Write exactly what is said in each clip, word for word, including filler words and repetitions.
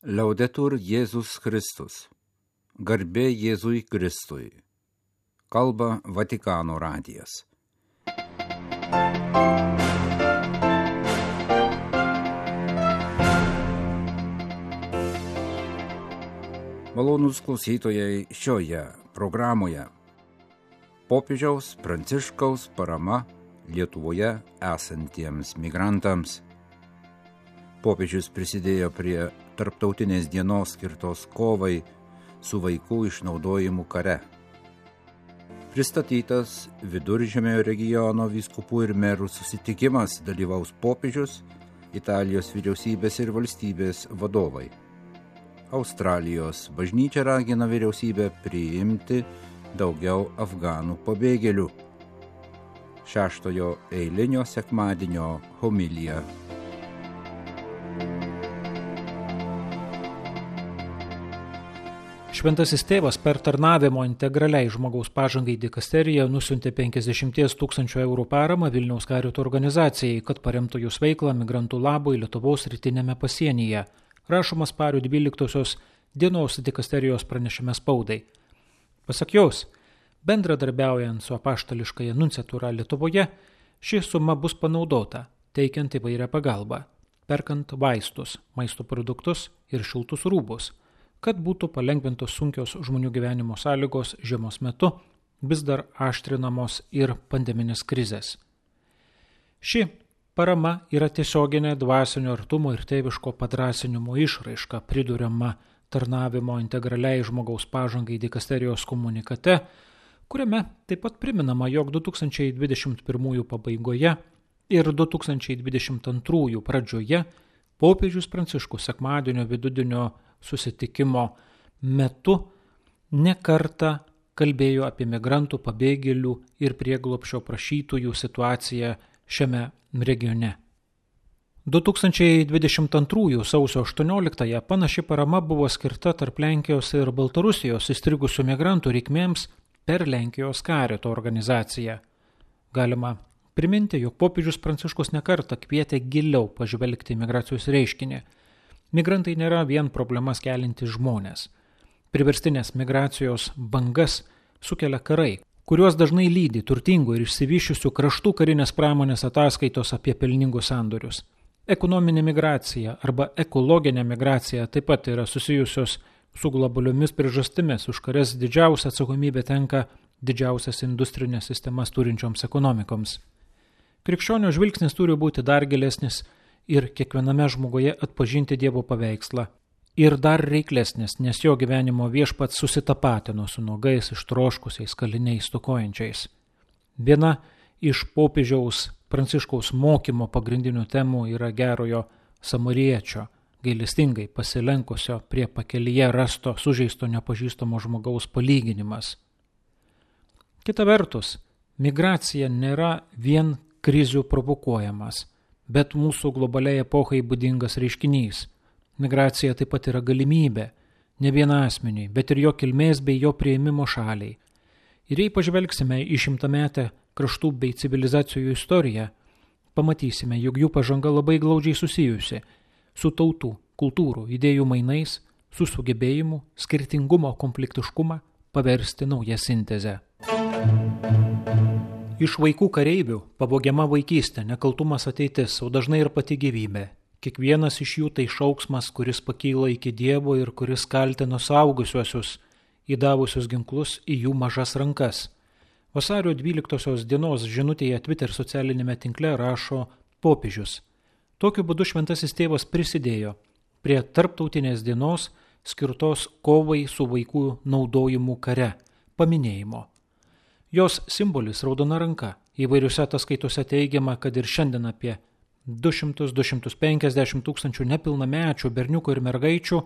Laudetur Jėzus Kristus. Garbė Jėzui Kristui. Kalba Vatikano radijas. Malonūs klausytojai, šioje programoje popiežiaus Pranciškaus parama Lietuvoje esantiems migrantams. Popiežius prisidėjo prie tarptautinės dienos skirtos kovai su vaikų išnaudojimu kare. Pristatytas Viduržemio regiono vyskupų ir merų susitikimas, dalyvaus popiežius, Italijos vyriausybės ir valstybės vadovai. Australijos bažnyčia ragina vyriausybę priimti daugiau afganų pabėgėlių. Šeštojo eilinio sekmadienio homilija. Šventasis tėvas per tarnavimo integraliai žmogaus pažangai dikasteriją nusiuntė penkiasdešimt tūkstančių eurų paramą Vilniaus Karito organizacijai, kad paremtų jos veiklą migrantų labui Lietuvos rytinėme pasienyje. Rašoma Spalio dvyliktosios dienos dikasterijos pranešime spaudai. Pasak jos, bendradarbiaujant su apaštališkąja nunciatūra Lietuvoje, ši suma bus panaudota, teikiant įvairią pagalbą, perkant vaistus, maisto produktus ir šiltus rūbus, kad būtų palengvintos sunkios žmonių gyvenimo sąlygos žiemos metu, vis dar aštrinamos ir pandeminės krizės. Ši parama yra tiesioginė dvasinio artumo ir tėviško padrąsinimo išraiška, priduriama tarnavimo integraliai žmogaus pažangai dikasterijos komunikate, kuriame taip pat priminama, jog du tūkstančiai dvidešimt pirmųjų pabaigoje ir du tūkstančiai dvidešimt antrųjų pradžioje popiežius Pranciškus sekmadienio vidudienio susitikimo metu ne kartą kalbėjo apie migrantų, pabėgėlių ir prieglobsčio prašytojų situaciją šiame regione. du tūkstančiai dvidešimt antrųjų sausio aštuonioliktąją panaši parama buvo skirta tarp Lenkijos ir Baltarusijos įstrigusių migrantų reikmėms per Lenkijos Karito organizaciją. Galima priminti, jog popiežius Pranciškus nekartą kvietė giliau pažvelgti migracijos reiškinį. Migrantai nėra vien problemas keliantys žmonės. Priverstinės migracijos bangas sukelia karai, kuriuos dažnai lydi turtingų ir išsivyščiusių kraštų karinės pramonės ataskaitos apie pelningus sandorius. Ekonominė migracija arba ekologinė migracija taip pat yra susijusios su globaliomis priežastimis, už kurias didžiausia atsakomybė tenka didžiausias industrinės sistemas turinčioms ekonomikoms. Krikščionio žvilgsnis turi būti dar gilesnis ir kiekviename žmoguje atpažinti Dievo paveikslą. Ir dar reiklesnis, nes jo gyvenimo viešpats susitapatino su nuogais, ištroškusiais, kaliniais, stokojančiais. Viena iš popiežiaus Pranciškaus mokymo pagrindinių temų yra gerojo samariečio, gailestingai pasilenkusio prie pakelyje rasto sužeisto nepažįstamo žmogaus palyginimas. Kita vertus, migracija nėra vien krizių provokuojamas, bet mūsų globaliai epochai būdingas reiškinys. Migracija taip pat yra galimybė, ne viena asmeniui, bet ir jo kilmės bei jo priėmimo šaliai. Ir jei pažvelgsime į šimtametę kraštų bei civilizacijų istoriją, pamatysime, jog jų pažanga labai glaudžiai susijusi su tautų, kultūrų, idėjų mainais, su sugebėjimu skirtingumo konfliktiškumą paversti naują sintezę. Iš vaikų kareivių pavogiama vaikystė, nekaltumas ateitis, o dažnai ir pati gyvybė. Kiekvienas iš jų tai šauksmas, kuris pakyla iki Dievo ir kuris kaltina suaugusiuosius, įdavusius ginklus į jų mažas rankas. Vasario dvyliktosios dienos žinutėje Twitter socialinėme tinkle rašo popiežius. Tokiu būdu šventasis tėvas prisidėjo prie tarptautinės dienos skirtos kovai su vaikų naudojimu kare paminėjimo. Jos simbolis raudona ranka. Įvairiuose ataskaitose teigiama, kad ir šiandien apie du šimtus iki du šimtų penkiasdešimt tūkstančių nepilnamečių berniukų ir mergaičių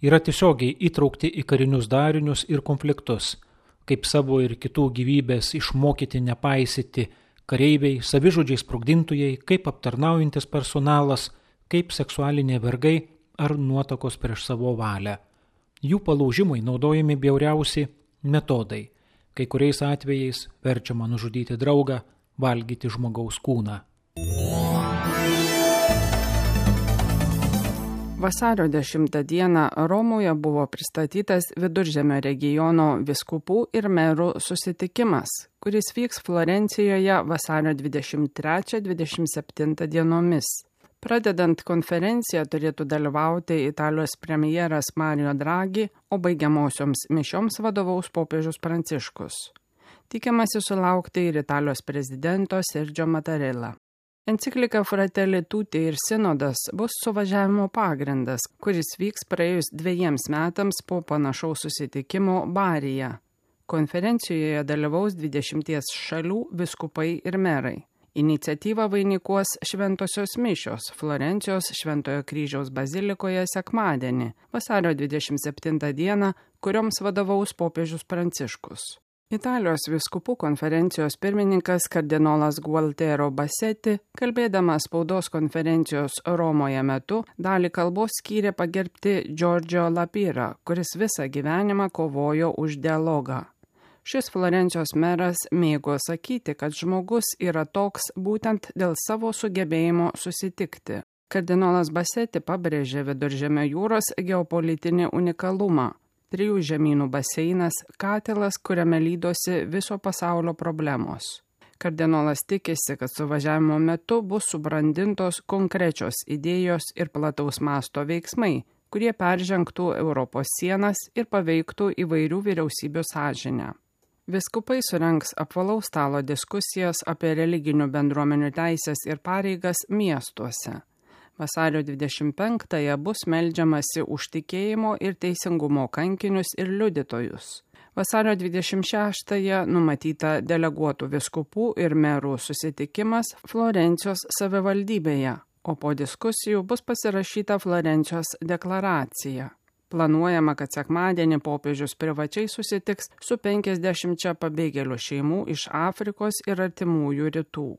yra tiesiogiai įtraukti į karinius darinius ir konfliktus, kaip savo ir kitų gyvybės išmokyti nepaisyti kareiviai, savižudžiai sprogdintojai, kaip aptarnaujantis personalas, kaip seksualiniai vergai ar nuotakos prieš savo valią. Jų palaužimui naudojami bjauriausi metodai. Kai kuriais atvejais verčiama nužudyti draugą, valgyti žmogaus kūną. Vasario dešimtą dieną Romoje buvo pristatytas Viduržemio regiono vyskupų ir merų susitikimas, kuris vyks Florencijoje vasario dvidešimt trečią dvidešimt septintą dienomis. Pradedant konferenciją turėtų dalyvauti Italijos premjeras Mario Draghi, o baigiamosioms mišioms vadovaus popiežius Pranciškus. Tikimasi sulaukti ir Italijos prezidento Sergio Mattarella. Enciklika Fratelli Tutti ir sinodas bus suvažiavimo pagrindas, kuris vyks praėjus dviejiems metams po panašaus susitikimo Baryje. Konferencijoje dalyvaus dvidešimties šalių vyskupai ir merai. Iniciatyvą vainikuos šventosios mišios Florencijos Šventojo kryžiaus bazilikoje sekmadienį, vasario dvidešimt septintą dieną, kurioms vadovaus popiežius Pranciškus. Italijos vyskupų konferencijos pirmininkas kardinolas Gualtiero Bassetti, kalbėdamas spaudos konferencijos Romoje metu, dalį kalbos skyrė pagerbti Giorgio Lapira, kuris visą gyvenimą kovojo už dialogą. Šis Florencijos meras mėgo sakyti, kad žmogus yra toks būtent dėl savo sugebėjimo susitikti. Kardinolas Bassetti pabrėžė Viduržemio jūros geopolitinį unikalumą. Trijų žemynų baseinas, katilas, kuriame lydosi viso pasaulio problemos. Kardinolas tikisi, kad suvažiavimo metu bus subrandintos konkrečios idėjos ir plataus masto veiksmai, kurie peržengtų Europos sienas ir paveiktų įvairių vyriausybių sąžinę. Vyskupai surengs apvalaus stalo diskusijas apie religinių bendruomenių teisės ir pareigas miestuose. Vasario dvidešimt penktąją bus meldžiamasi už tikėjimo ir teisingumo kankinius ir liudytojus. Vasario dvidešimt šeštąją numatyta deleguotų vyskupų ir merų susitikimas Florencijos savivaldybėje, o po diskusijų bus pasirašyta Florencijos deklaracija. Planuojama, kad sekmadienį popiežius privačiai susitiks su penkiasdešimčia pabėgėlių šeimų iš Afrikos ir artimųjų rytų.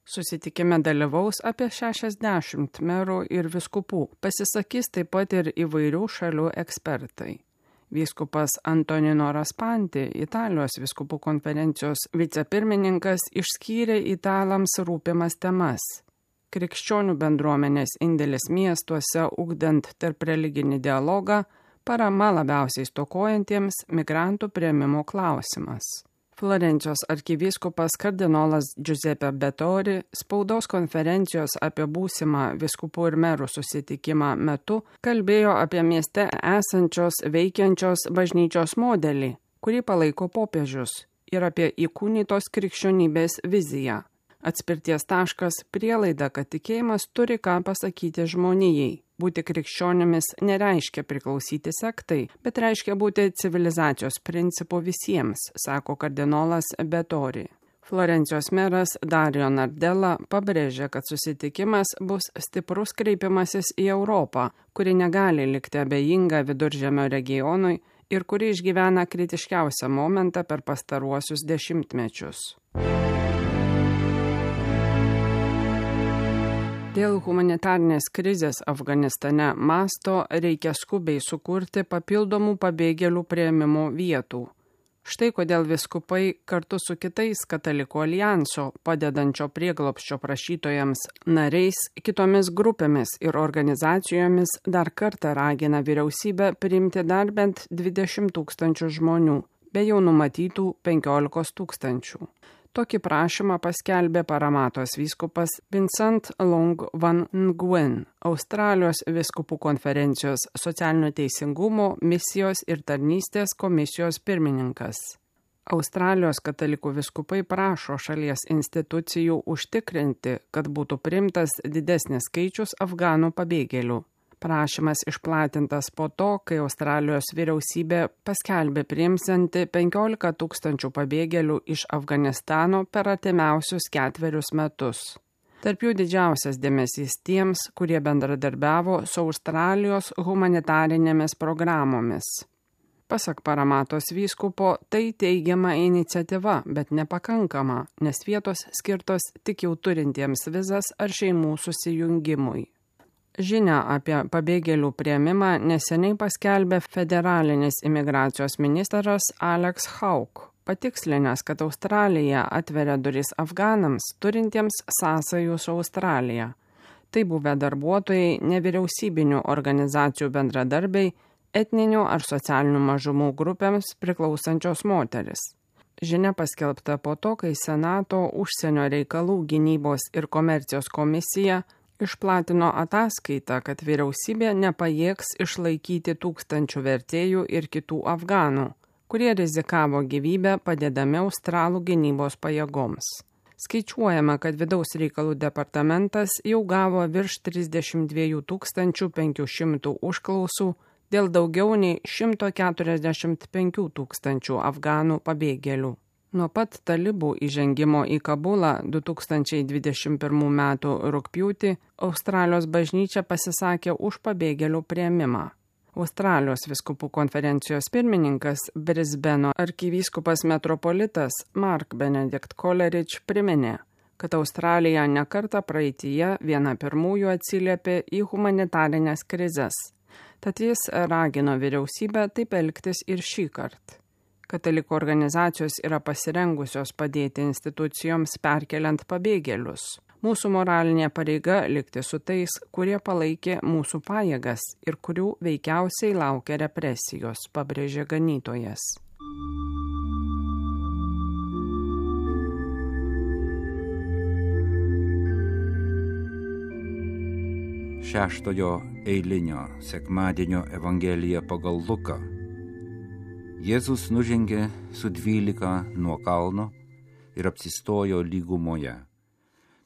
Susitikime dalyvaus apie šešiasdešimt merų ir vyskupų, pasisakys taip pat ir įvairių šalių ekspertai. Vyskupas Antonino Raspanti, Italijos vyskupų konferencijos vicepirmininkas, išskyrė italams rūpimas temas. Krikščionių bendruomenės indėlis miestuose, ugdant tarp religinį dialogą, parama labiausiai stokojantiems, migrantų priėmimo klausimas. Florencijos arkivyskupas kardinolas Giuseppe Bettori spaudos konferencijos apie būsimą vyskupų ir merų susitikimą metu kalbėjo apie mieste esančios veikiančios bažnyčios modelį, kurį palaiko popiežius, ir apie įkūnytos krikščionybės viziją. Atspirties taškas prielaida, kad tikėjimas turi ką pasakyti žmonijai. Būti krikščionimis nereiškia priklausyti sektai, bet reiškia būti civilizacijos principu visiems, sako kardinolas Bettori. Florencijos meras Dario Nardella pabrėžė, kad susitikimas bus stiprus kreipimasis į Europą, kuri negali likti abejinga Viduržemio regionui ir kuri išgyvena kritiškiausią momentą per pastaruosius dešimtmečius. Dėl humanitarnės krizės Afganistane masto reikia skubiai sukurti papildomų pabėgėlių priėmimo vietų. Štai kodėl vyskupai kartu su kitais katalikų alijanso padedančio prieglobsčio prašytojams nariais, kitomis grupėmis ir organizacijomis dar kartą ragina vyriausybę priimti dar bent dvidešimt tūkstančių žmonių, be jau numatytų penkiolikos tūkstančių. Tokį prašymą paskelbė Paramatos vyskupas Vincent Long Van Nguyen, Australijos vyskupų konferencijos socialinio teisingumo, misijos ir tarnystės komisijos pirmininkas. Australijos katalikų vyskupai prašo šalies institucijų užtikrinti, kad būtų priimtas didesnis skaičius afganų pabėgėlių. Prašymas išplatintas po to, kai Australijos vyriausybė paskelbė priimsianti penkiolika tūkstančių pabėgėlių iš Afganistano per artimiausius ketverius metus. Tarp jų didžiausias dėmesys tiems, kurie bendradarbiavo su Australijos humanitarinėmis programomis. Pasak Paramatos vyskupo, tai teigiama iniciatyva, bet nepakankama, nes vietos skirtos tik jau turintiems vizas ar šeimų susijungimui. Žinia apie pabėgėlių priėmimą neseniai paskelbė federalinis imigracijos ministras Alex Hawke, patikslinęs, kad Australija atveria duris afganams turintiems sąsajų su Australija. Tai buvę darbuotojai, nevyriausybinių organizacijų bendradarbiai, etninių ar socialinių mažumų grupėms priklausančios moteris. Žinia paskelbta po to, kai Senato užsienio reikalų gynybos ir komercijos komisija išplatino ataskaitą, kad vyriausybė nepajėgs išlaikyti tūkstančių vertėjų ir kitų afganų, kurie rizikavo gyvybę padėdami Australų gynybos pajėgoms. Skaičiuojama, kad vidaus reikalų departamentas jau gavo virš trisdešimt dviejų tūkstančių penkių šimtų užklausų dėl daugiau nei šimto keturiasdešimt penkių tūkstančių afganų pabėgėlių. Nuo pat talibų įžengimo į Kabulą du tūkstančiai dvidešimt pirmų metų rugpjūtį Australijos bažnyčia pasisakė už pabėgėlių priėmimą. Australijos vyskupų konferencijos pirmininkas Brisbeno arkivyskupas metropolitas Mark Benedict Coleridge priminė, kad Australija nekartą praeityje viena pirmųjų atsiliepė į humanitarinės krizes. Tad jis ragino vyriausybę taip elgtis ir šį kartą. Katalikų organizacijos yra pasirengusios padėti institucijoms perkeliant pabėgėlius. Mūsų moralinė pareiga likti su tais, kurie palaikė mūsų pajėgas ir kurių veikiausiai laukia represijos, pabrėžė ganytojas. Šeštojo eilinio sekmadienio Evangelija pagal Luką. Jėzus nužengė su dvylika nuo kalno ir apsistojo lygumoje.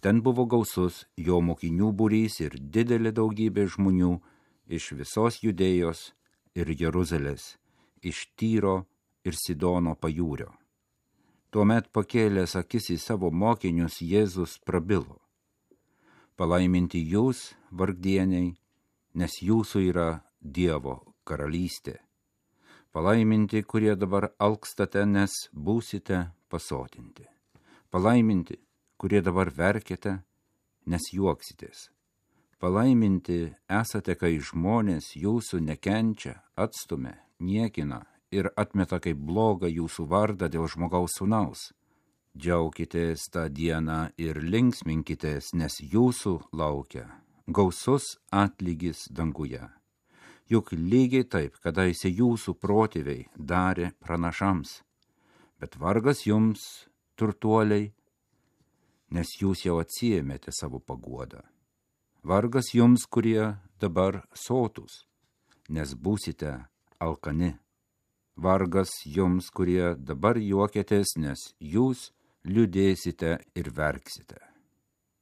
Ten buvo gausus jo mokinių būrys ir didelė daugybė žmonių iš visos Judėjos ir Jeruzalės, iš Tyro ir Sidono pajūrio. Tuomet pakėlęs akis į savo mokinius, Jėzus prabilo: Palaiminti jūs, vargdieniai, nes jūsų yra Dievo karalystė. Palaiminti, kurie dabar alkstate, nes būsite pasotinti. Palaiminti, kurie dabar verkiate, nes juoksitės. Palaiminti esate, kai žmonės jūsų nekenčia, atstumia, niekina ir atmeta kaip blogą jūsų vardą dėl žmogaus sūnaus. Džiaukitės tą dieną ir linksminkitės, nes jūsų laukia gausus atlygis danguje. Juk lygiai taip, kadaise jūsų protėviai darė pranašams. Bet vargas jums, turtuoliai, nes jūs jau atsiėmėte savo paguodą. Vargas jums, kurie dabar sotūs, nes būsite alkani. Vargas jums, kurie dabar juokėtės, nes jūs liūdėsite ir verksite.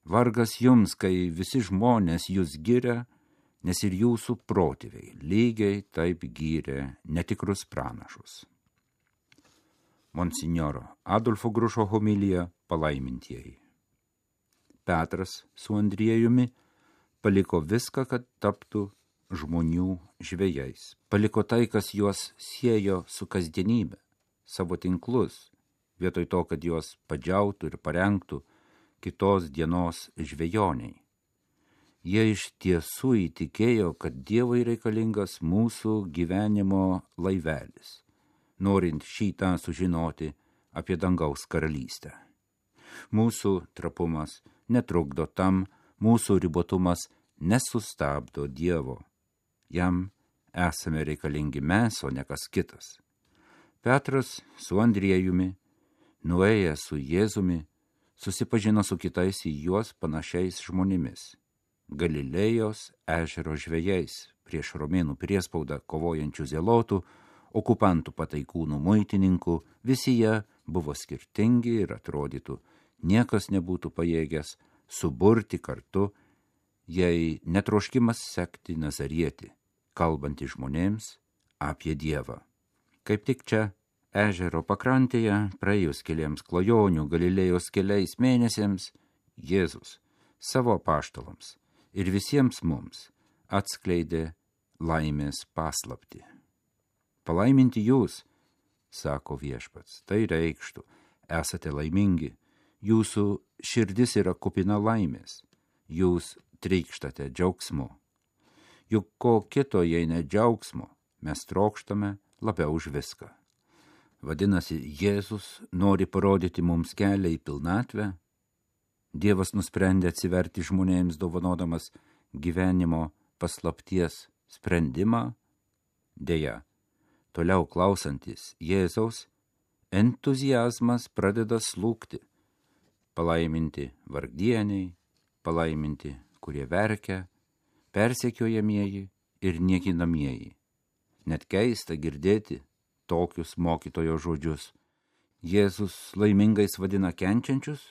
Vargas jums, kai visi žmonės jūs giria, nes ir jūsų protėviai lygiai taip gyrė netikrus pranašus. Monsinjoro Adolfo Grušo homilija Palaimintieji. Petras su Andriejumi paliko viską, kad taptų žmonių žvejais. Paliko tai, kas juos siejo su kasdienybė, savo tinklus, vietoj to, kad juos padžiautų ir parengtų kitos dienos žvejoniai. Jie iš tiesų įtikėjo, kad Dievui reikalingas mūsų gyvenimo laivelis, norint šitą sužinoti apie dangaus karalystę. Mūsų trapumas netrukdo tam, mūsų ribotumas nesustabdo Dievo. Jam esame reikalingi mes, o ne kas kitas. Petras su Andriejumi, nuėjęs su Jėzumi, susipažino su kitais į juos panašiais žmonėmis, Galilėjos ežero žvejais, prieš romėnų priespaudą kovojančių zelotų, okupantų pataikūnų muitininkų. Visi jie buvo skirtingi ir atrodytų, niekas nebūtų pajėgęs suburti kartu, jei netroškimas sekti Nazarietį, kalbantį žmonėms apie Dievą. Kaip tik čia, ežero pakrantėje, praėjus keliems klajonių Galilėjos keliais mėnesiams, Jėzus savo apaštalams ir visiems mums atskleidė laimės paslaptį. Palaiminti jūs, sako viešpats, tai reikštų, esate laimingi, jūsų širdis yra kupina laimės, jūs trykštate džiaugsmu. Juk ko kito, jei ne džiaugsmo, mes trokštame labiau už viską. Vadinasi, Jėzus nori parodyti mums kelią į pilnatvę? Dievas nusprendė atsiverti žmonėms dovanodamas gyvenimo paslapties sprendimą. Deja, toliau klausantis Jėzaus, entuziazmas pradeda slūgti. Palaiminti vargdieniai, palaiminti, kurie verkia, persekiojamieji ir niekinamieji. Net keista girdėti tokius mokytojo žodžius. Jėzus laimingais vadina kenčiančius,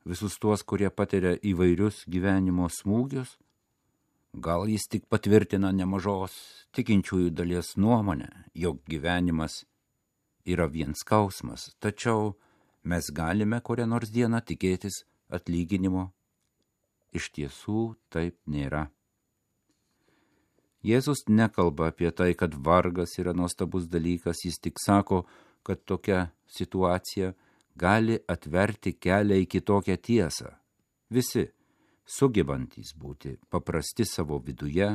visus tuos, kurie patiria įvairius gyvenimo smūgius. Gal jis tik patvirtina nemažos tikinčiųjų dalies nuomonę, jog gyvenimas yra vien skausmas, tačiau mes galime kurią nors dieną tikėtis atlyginimo. Iš tiesų taip nėra. Jėzus nekalba apie tai, kad vargas yra nuostabus dalykas, jis tik sako, kad tokia situacija gali atverti kelią į kitokią tiesą. Visi, sugebantys būti paprasti savo viduje,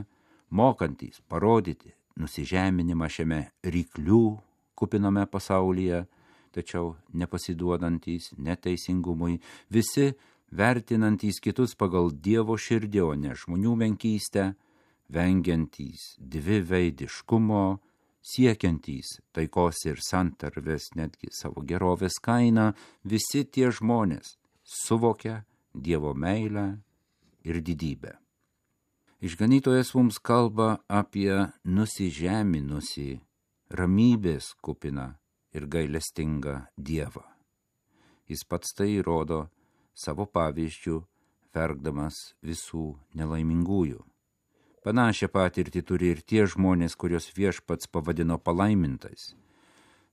mokantys parodyti nusižeminimą šiame ryklių kupiname pasaulyje, tačiau nepasiduodantys neteisingumui, visi vertinantys kitus pagal Dievo širdį, o ne žmonių menkystę, vengiantys dviveidiškumo, siekiantys taikos ir santarvės netgi savo gerovės kainą, visi tie žmonės suvokia Dievo meilę ir didybę. Išganytojas mums kalba apie nusižeminusį, ramybės kupiną ir gailestingą Dievą. Jis pats tai įrodo savo pavyzdžių, verkdamas visų nelaimingųjų. Panašią patirtį turi ir tie žmonės, kurios Viešpats pavadino palaimintais.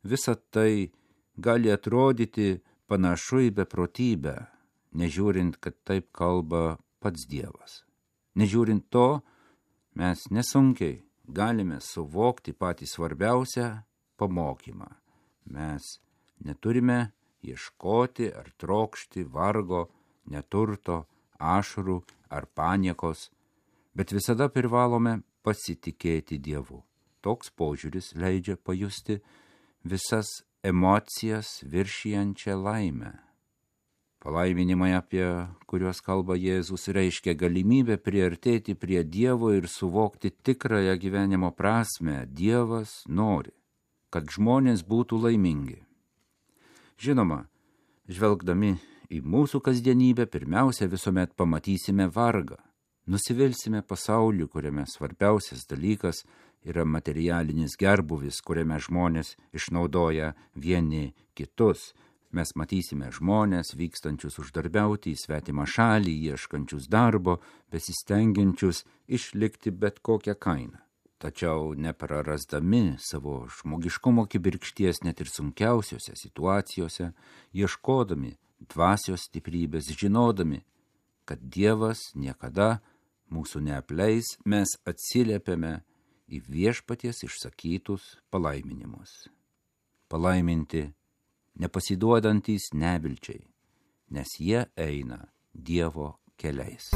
Visa tai gali atrodyti panašu į beprotybę, nežiūrint, kad taip kalba pats Dievas. Nežiūrint to, mes nesunkiai galime suvokti patį svarbiausią pamokymą. Mes neturime ieškoti ar trokšti vargo, neturto, ašarų ar paniekos, bet visada privalome pasitikėti Dievu. Toks požiūris leidžia pajusti visas emocijas viršijančią laimę. Palaiminimai, apie kuriuos kalba Jėzus, reiškia galimybę priartėti prie Dievo ir suvokti tikrąją gyvenimo prasmę. Dievas nori, kad žmonės būtų laimingi. Žinoma, žvelgdami į mūsų kasdienybę, pirmiausia visuomet pamatysime vargą. Nusivilsime pasauliu, kuriame svarbiausias dalykas yra materialinis gerbuvis, kuriame žmonės išnaudoja vieni kitus. Mes matysime žmonės vykstančius uždarbiauti į svetimą šalį, ieškančius darbo, besistengiančius išlikti bet kokią kainą. Tačiau neprarasdami savo žmogiškumo kibirkšties net ir sunkiausiose situacijose, ieškodami dvasios stiprybės, žinodami, kad Dievas niekada mūsų neapleis, mes atsiliepiame į Viešpaties išsakytus palaiminimus. Palaiminti nepasiduodantys nevilčiai, nes jie eina Dievo keliais.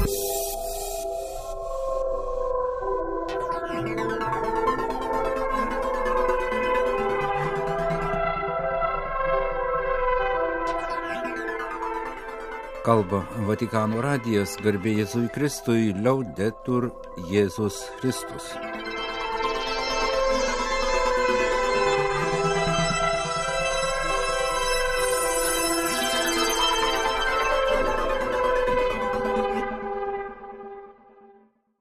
Kalba Vatikano radijas, garbė Jėzui Kristui, Laudetur Jėzus Kristus.